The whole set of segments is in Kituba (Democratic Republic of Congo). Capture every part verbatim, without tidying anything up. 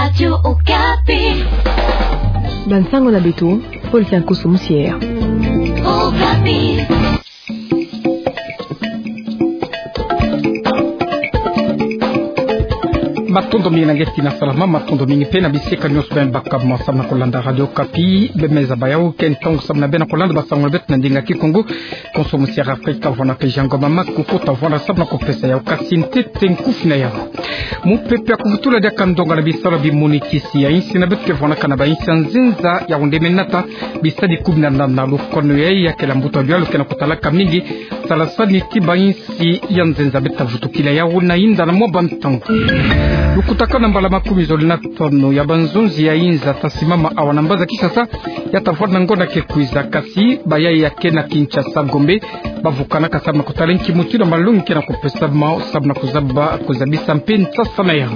Radio Okapi. Bansango na beto, Paul Tiankoso Musier. Okapi. Matondo mingi na nge tina salama, matondo mingi mpe na bisika nyonso beno baka mo samu na kolanda Radio Okapi. Bemeza baya uke ntangu samu na beno kolanda bansango na beto na ndinga Kikongo. Konso Musier Afrika vwanda pejanga mama kukuta vwanda samu na kopesa yau kasi ntete nkufi na yau. Mupepe ya kuvutula diaka ndonga na bisalu ya bimonikisi ya insi na beto ke vwanakana na bainsi ya nzenza, yau nde me nata bisadi kumi na nana. Lukanu yayi ya kele mbuta dialu ke na kutalaka mingi salasani ti bainsi ya nzenza. Beta vutukila yau na inda na mwa bantangu. Lukutakanu na mbala makumi zole na tanu ya banzonzi ya inza ta simama awa na mbanza Kinshasa, ya ta vwanda ngonda ke kwiza, kasi bayayi ya ke na Kinshasa Gombe ba vukanaka samu na kutala nki mutindu malongi ke na kupesama samu na kuzaba, kuzabisa mpe nsasa na yau.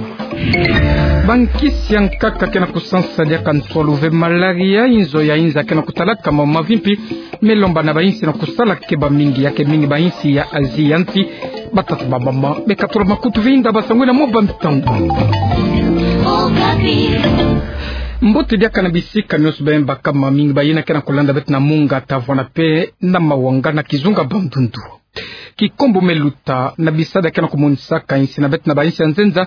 Bankisi ya nkaka ke na kusansa diaka ntwalu ve malaria, inzo ya inza ke na kutalaka mawu mavimpi. Me lomba na bainsi na kusala ke ba mingi, ya ke mingi bainsi ya Asie ya nsi ba tata ba mama. Beka tula makutu ve inda bansango na mwa bantangu. Mbote diaka na bisika nyonso beno baka, mamingi bayina ke na kulanda beto na Monga, Tavana mpe na Mawanga na kizunga Bandundu. Kikombo me luta na bisadi ke na kumonisaka insi na beto na bainsi ya nzenza.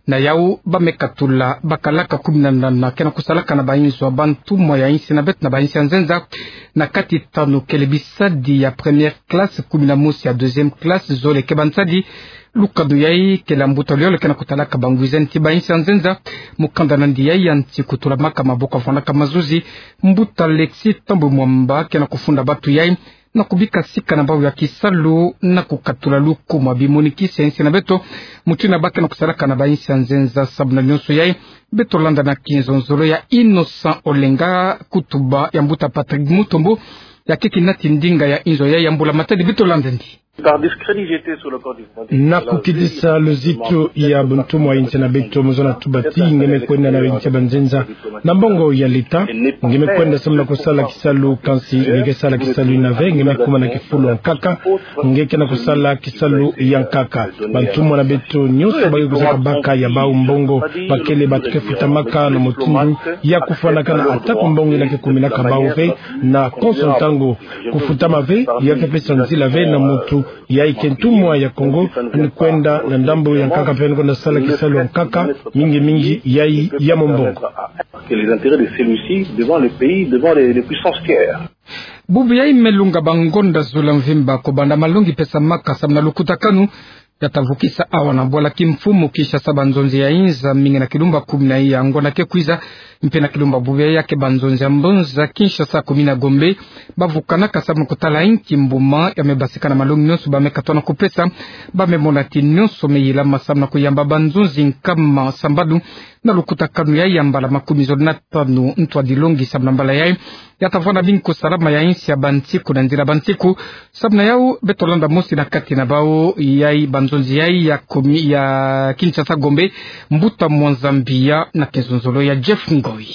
Na yau ba me katula bakalaka kumi na nana ke na kusalaka na bainzo ya bantumwa ya insi na beto na bainsi ya nzenza. Na kati tanu kele bisadi ya première classe, kumi na mosi ya deuxième classe, zole ke bansadi. Lukanu yayi kele mbuta yole ke na kutalaka bangwizani ti bainsi ya nzenza. Mukanda na ndi yayi ya nsi kutulamaka maboko ya vwanaka mazuzi, mbuta Alexis Thambwe Mwamba ke na kufunda batu yayi na kubika sika na bau ya kisalu na kukatula lukumu ya bimonikisi ya insi na beto, mutindu ba ke na kusalaka na bainsi ya nzenza. Samu na nyonso yayi, beto landa na kinzonzolo ya Innocent Olenga, kutuba ya mbuta Patrick Mutombo, ya ke kinati ndinga ya inzo yayi ya mbula-matadi. Beto landa ndi. Par discrédit, j'étais sur le corps diplomatique. Na kukitisa luzitu ya buntumwa ya insi na beto, mu zona tuba ti nge me kwenda na insi ya banzenza na mbongo ya leta. Nge me kwenda samu na kusala kisalu, kansi nge ke sala kisalu yina ve, nge me kuma na kifulu ya nkaka, nge ke na kusala kisalu ya nkaka. Bantumwa na beto nyonso ba ke kwizaka baka ya bau mbongo, ba kele batu ke futamaka na mutindu ya kufwanakana, ata ko mbongo yina ke kuminaka bau ve na konso ntangu. Kufutama ve, ya ke pesa nzila ve na mutu yayi ke ntumwa ya Kongo, ani kwenda na ndambu ya nkaka mpe ani kwenda sala kisalu ya nkaka, mingi mingi yayi ya mombongo. Que les intérêts de celui-ci devant le pays, devant les, les puissances tiers. Bubu yayi me lunga bangonda zole mvimba, kobanda malongi pesamaka samu na lukutakanu ya ta vukisa awa na bwala kimfumu Kinshasa banzonzi ya inza mingi na kilumbu kumi na iya ngonda ke kwiza, mpe na kilumbu bubu yayi ya ke banzonzi ya mbanza Kinshasa, kumi na Gombe, ba vukanaka samu na kutala inki mbuma ya me basika na malongi nyonso ba me katona kupesa. Ba me mona ti nyonso me yilama samu na kuyamba banzonzi nkama sambanu na lukutakanu yayi ya mbala makumi zole na tanu. Ntwadilongi samu na mbala yayi ya ta vwanda mingi kusalama ya insi ya bansiku na nzila bansiku. Samu na yau, beto landa mosi na kati na bau yayi banzonzi yayi ya kumi ya Kinshasa Gombe, mbuta Mwanza Mbiya, na kinzonzolo ya Jeff Ngoi.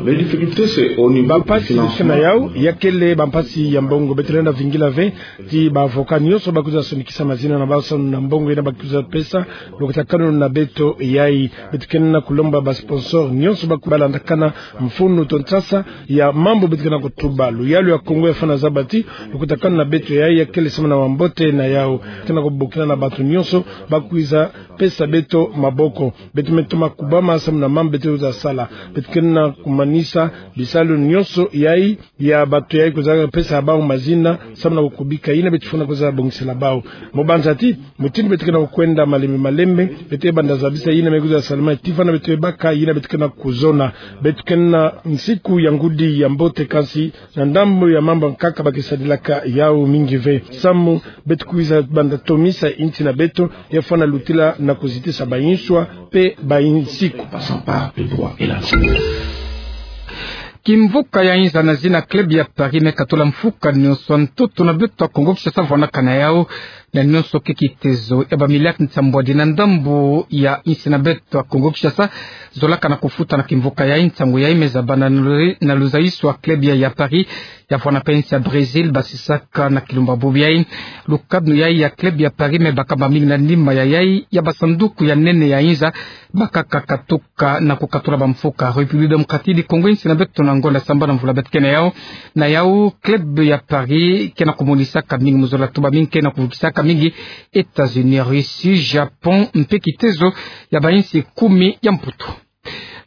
Les difficultés, c'est au niveau financier. Bampasi beto ke na yau ya kele bampasi ya mbongo. Beto lenda vingila ve ti ba avocat nyonso ba kwiza sonikisa mazina na bau samu na mbongo yina ba kwiza pesa. Lukutakanu na beto yayi, beto ke na kulomba ba sponsor nyonso ba kwiza landakana mfunu to nsasa ya mambu beto ke na kutuba. Luyalu ya Kongo ya fwana zaba ti lukutakanu na beto yayi ya kele samu na wambote. Na yau ke na kubokila na bantu nyonso ba kwiza pesa beto maboko. Beto me toma kubama samu na mambu beto kwiza sala. Beto ke na kumanisa bisalu nyonso yayi ya bantu yayi kwiza pesa bau mazina samu na kukubika yina beto fwana kwiza bongisela bau. Mu banza ti mutindu beto ke na kukwenda malembe malembe, beto banda zabisa yina me kwiza salama ti fwana beto baka yina beto ke na kuzona. Beto ke na nsiku ya ngudi ya mbote, kansi na ndambu ya mambu ya nkaka ba ke sadilaka yau mingi ve. Samu beto kwiza banda tomisa insi na beto ya fwana lutila na kuzitisa bainswa mpe bainsiku. Kimvuka ya inza na zina club ya Paris me katula mfuka nyonso ntoto na beto ya Kongo Kinshasa vwanaka na yau. Na nyonso kikitezo ya bamiliaki nsambwadi na ndambu ya insi na beto ya Kongo Kinshasa, zolaka na kufuta na kimvuka yayi nsangu yayi me zaba na lu-, na luzaiso ya club ya, ya Paris, ya vwanda mpe insi ya Brésil, basisaka na kilumbu bubu yayi. Lukanu yayi ya club ya Paris me bakama mingi na nima ya yayi ya basanduku ya nene ya inza, bakaka katuka na kukatula bamfuka. République Démocratique du Congo, insi na beto na ngonda sambanu ya mvula beto ke na yawu. Na yawu, club ya Paris ke na kumonisaka mingi muzola, tuba mingi ke na kuvukisaka mingi États-Unis, Russie, Japon, mpe kitezo ya bainsi kumi ya Mputu.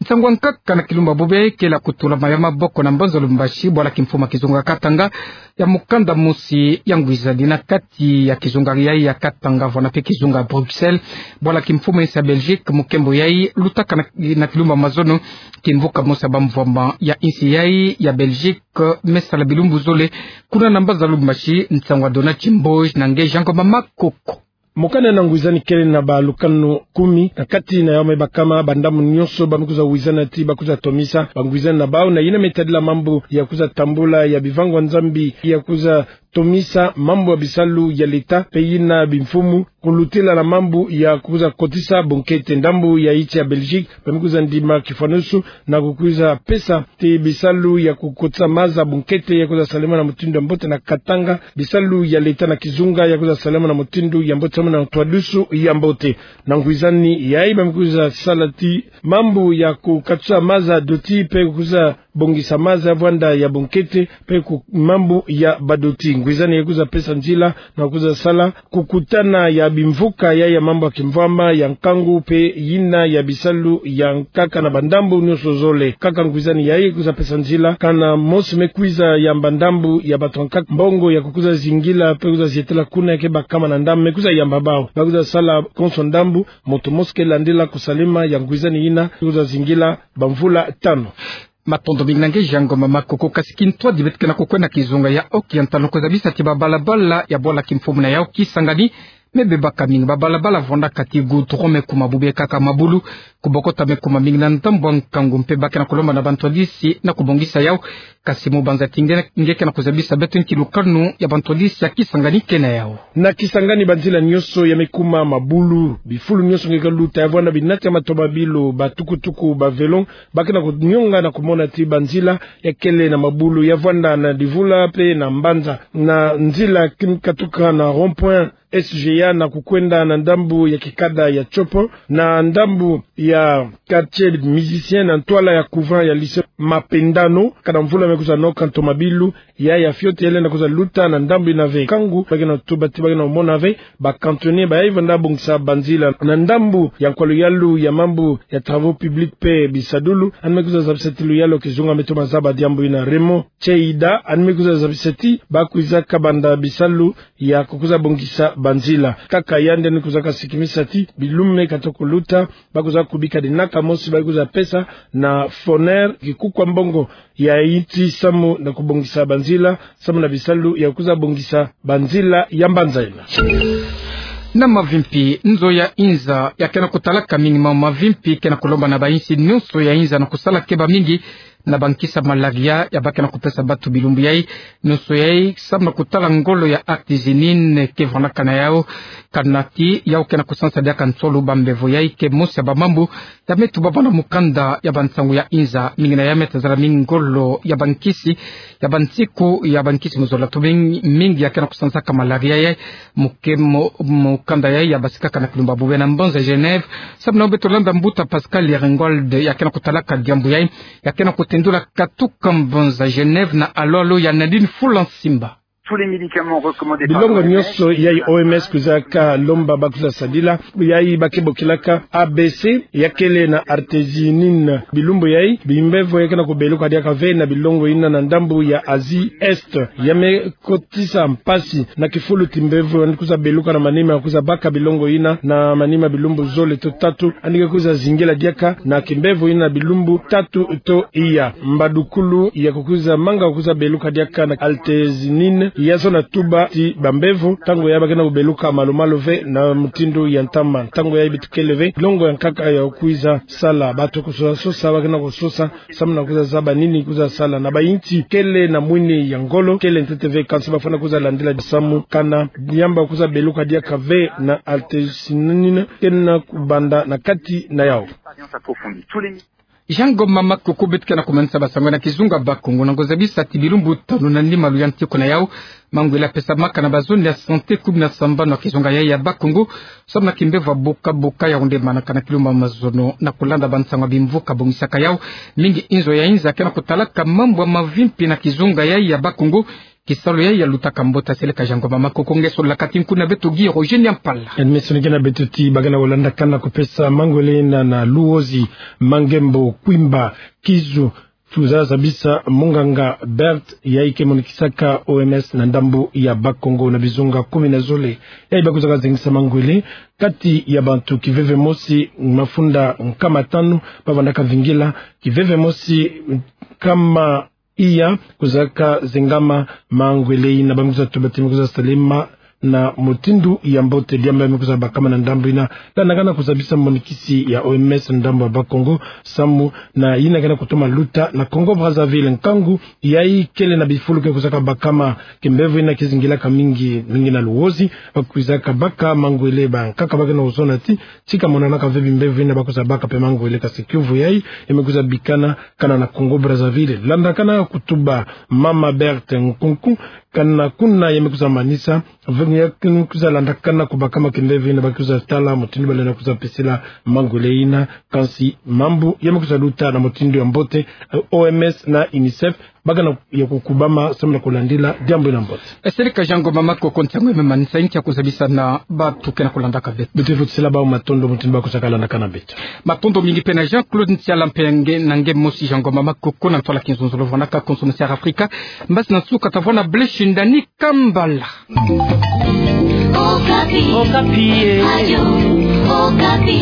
Nsangu ya nkaka na kilumbu bubu yayi kele ya kutulama ya maboko na mbanza Lubumbashi, bwala kimfumu ya kizunga Katanga, ya mukanda mosi ya ngwizani na kati ya kizunga yayi ya Katanga, vwanda mpe kizunga Bruxelles, bwala kimfumu ya insi ya Belgique, mukembo yayi lutaka na, na kilumbu mazono, kimvuka mosi ya bamvwama ya insi yayi ya Belgique me sala bilumbu zole kuna na mbanza Lubumbashi. Nsangu ya Donatien Mboji na nge Jean Ngoma Makoko. Mokanda na ngwizani kele na balukanu kumi, na kati na yawu me bakama bandambu nyonso ba me kwiza wizana ti ba kwiza tomisa bangwizani na bawu, na yina me tadila mambu ya kwiza tambula ya bivangwa Nzambi, ya kwiza tomisa mambu ya bisalu ya leta, mpe yina bimfumu, kulutila na mambu ya kwiza kotisa bunkete. Ndambu ya insi ya Belgique ba me kwiza ndima kifwanusu na kukwiza pesa ti bisalu ya kukotisa maza bunkete ya kwiza salama na mutindu ya mbote na Katanga, bisalu ya leta na kizunga ya kwiza salama na mutindu ya mbote, samu na ntwadisi ya mbote. Na ngwizani yayi ba me kwiza sala ti mambu ya kukatisa maza doti mpe kwiza bongisa maza ya vwanda ya bunkete, mpe ku mambu ya badoti. Ngwizani yayi kwiza pesa nzila na kwiza sala kukutana ya bimvuka ya, ya mambu ya kimvwama, ya nkangu, mpe yina ya bisalu ya nkaka na bandambu nyonso zole. Kaka ngwizani yayi kwiza pesa nzila kana mosi me kwiza yamba ndambu ya bato ya nkaka mbongo ya kukwiza zingila mpe kwiza zietela kuna ya ke bakama na ndambu, me kwiza yamba bawu ba kwiza sala konso ndambu, moto mosi ke landila kusalama ya ngwizani yina kwiza zingila bamvula tanu. Matondo mingi na nge Jean Ngoma Makoko. Kasi kintwadi beto ke na kukwenda kizunga ya Haut-Oriental, kwiza zabisa ti babalabala ya bwala kimfumu na yawu Kisangani me bebaka mingi. Babalabala vwandaka ti goudron, me kuma bubu yayi kaka mabulu. Kubokota me kuma mingi na ndambu ya nkangu, mpe ba ke na kulomba na bantwadisi na kubongisa yawu. Kasi mu banza ti nge, nge ke na kuzabisa beto nki lukanu ya bantwadisi ya Kisangani ke na yawu. Na Kisangani banzila nyonso ya me kuma mabulu, bifulu nyonso nge ke luta, ya vwanda binati ya matomabilu, batukutuku, bavelo, ba ke na kunionga na kumona ti banzila ya kele na mabulu, ya vwanda na divula mpe na mbanza. Na nzila ki me katuka na rond-point S G A na kukwenda na ndambu ya kikada ya Tshopo, na ndambu ya quartier musicien, na ntwala ya couvent ya lycée Mapendano, kana mvula me kwiza noka, ntomabilu ya, ya fioti ya lenda kwiza luta na ndambu yina ve. Nkangu ba ke na tuba ti ba ke na mona ve ba cantonnier ba yayi vwanda bongisa banzila. Na ndambu ya nkwa luyalu ya mambu ya travaux publics mpe bisadulu, yandi me kwiza zabisa ti luyalu ya kizunga me toma zaba diambu yina, Raymond Cheida, yandi me kwiza zabisa ti ba kwiza kabanda bisalu ya kukwiza bongisa banzila. Kaka yandi, yandi kwizaka sikimisa ti bilumbu me katuka kuluta, ba kwiza kubika dinaka mosi ba kwiza pesa na Foner kikuku ya mbongo ya insi samu na kubongisa banzila, samu na bisalu ya kwiza bongisa banzila ya mbanza yina. Na mavimpi, nzo ya inza ya ke na kutalaka mingi ma mavimpi ke na kulomba na bainsi nyonso ya inza na kusala keba mingi na bankisi ya malaria ya ba ke na kupesa bato bilumbu yayi. Nyonso yayi samu na kutala ngolo ya artésunine ke vwandaka na yawu. Kana ti yawu ke na kusansa diaka nsolo, bambevo yayi ke mosi ya bamambu ya me tubama na mukanda ya bansangu ya inza. Mingi na ya me tazala mingi ngolo ya bankisi, ya bansiku ya bankisi mu zola. Tobingi mingi ya ke na kusansaka malaria yayi. Muke mo-, mukanda yayi ya basikaka na kilumbu bubu yayi na mbanza Genève. Samu na beto landa mbuta Pascal Ringold ya ke na kutalaka diambu yayi, ya ke na kutendula katuka mbanza Genève na alo-alo ya Nadine Fulansimba. Bilongo nyonso yayi O M S kwizaka lomba ba kwiza sadila, yayi ba ke bokilaka A B C, ya kele na artésunine. Bilumbu yayi, bimbevo ya ke na kubeluka diaka ve na bilongo yina na ndambu ya Asie Est. Ya me kotisa mpasi na kifulu ti mbevo yandi kwiza beluka na manima ya kwiza baka bilongo yina na manima bilumbu zole to tatu, yandi ke kwiza zingila diaka na kimbevo yina bilumbu tatu to iya. Mbadukulu ya kukwiza manga kwiza beluka diaka na artésunine Ya zona tuba ti bambevo, ntangu ya ba ke na kubeluka malu-malu ve na mutindu ya ntama. Ntangu ya beto kele ve, longo ya nkaka ya kwiza sala, bato kusosa-sosa, ba ke na kusosa, samu na kwiza zaba nini kwiza sala. Na bayinti kele na mwini ya ngolo, kele ntete ve, kansi bafwana kwiza landila samu kana yamba kwiza beluka diaka ve na artémisinina, ke na kubanda na kati na yau. Jean Ngoma Makoko. Beto ke na kumanisa basango na kizunga Bakongo, na kuzabisa ti bilumbu tanu na nima luyantiku na yau, mangwele apesamaka na bazone ya santé kumi na sambanu ya kizunga yai ya Bakongo, samu na kimbevo ya buka-buka ya kundemanaka na kilumbu ya mazono. Na kulanda bansango ya bimvuka bongisaka yau, mingi inzo ya inza ke na kutalaka mambu ya mavimpi na kizunga yai ya Bakongo. Kisalu yai ya lutaka mbote. Seleka Jean Ngoma Makoko nge sololaka ti nkunga beto Guy Roger Niampala. Yandi me sonikena beto ti ba ke na kulandakana kupesa mangwele yina na Luozi, Mangembo, Kwimba, Kizu, kwiza zabisa munganga Bert, yai ke monikisaka O M S na ndambu ya Bakongo, na bizunga kumi na zole yai ba kwizaka zengisa mangwele. Kati ya bantu kiveve mosi mafunda nkama tanu bavandaka vingila, kiveve mosi nkama iya kwizaka zengama mangwele yina. Ba me kwiza tuba ti me kwiza salema na mutindu ya mbote. Diambu ya me kwiza bakama na ndambu yina, landakana kuzabisa monikisi ya O M S na ndambu ya Bakongo, samu na yina ke na kutoma luta na Congo Brazzaville. Nkangu yai kele na bifulu ke kwizaka bakama, kimbevo yina kizingilaka mingi, mingi na Luozi, ba kwizaka baka mangwele. Bankaka ba ke na kuzona ti tika monanaka ve bimbevo yina ba kwiza baka mpe mangwele, kasi kiuvu yai ya me kwiza bikana kana na Congo Brazzaville. Landakana kutuba mama Berthe Nkunku, kana kuna ya me kwiza manisa ve, ya me kwiza landakana kubakama kimbevo yina ba kwiza tala mutindu ba lenda kwiza pesela mangwele yina. Kansi mambu ya me kwiza luta na mutindu ya mbote. Eh, O M S na UNICEF ba ke na ya kukubama samu na kulandila diambu yina mbote. Seleka Jean Ngoma Makoko, ntiangu ya me manisa, ntia kuzabisa na bantu ke na kulandaka beto. Beto futisela bau matondo mutindu ba kwizaka landakana beto. Matondo mingi mpe na Jean-Claude Ntiala mpe nge, na nge mosi Jean Ngoma Makoko, na ntwala kinzonzolo vwanaka konso na Sierra Africa. Mbasi na nsuka tavwanda Blaise Shindani Kambala. Okapi. Okapi, eh. Radio Okapi.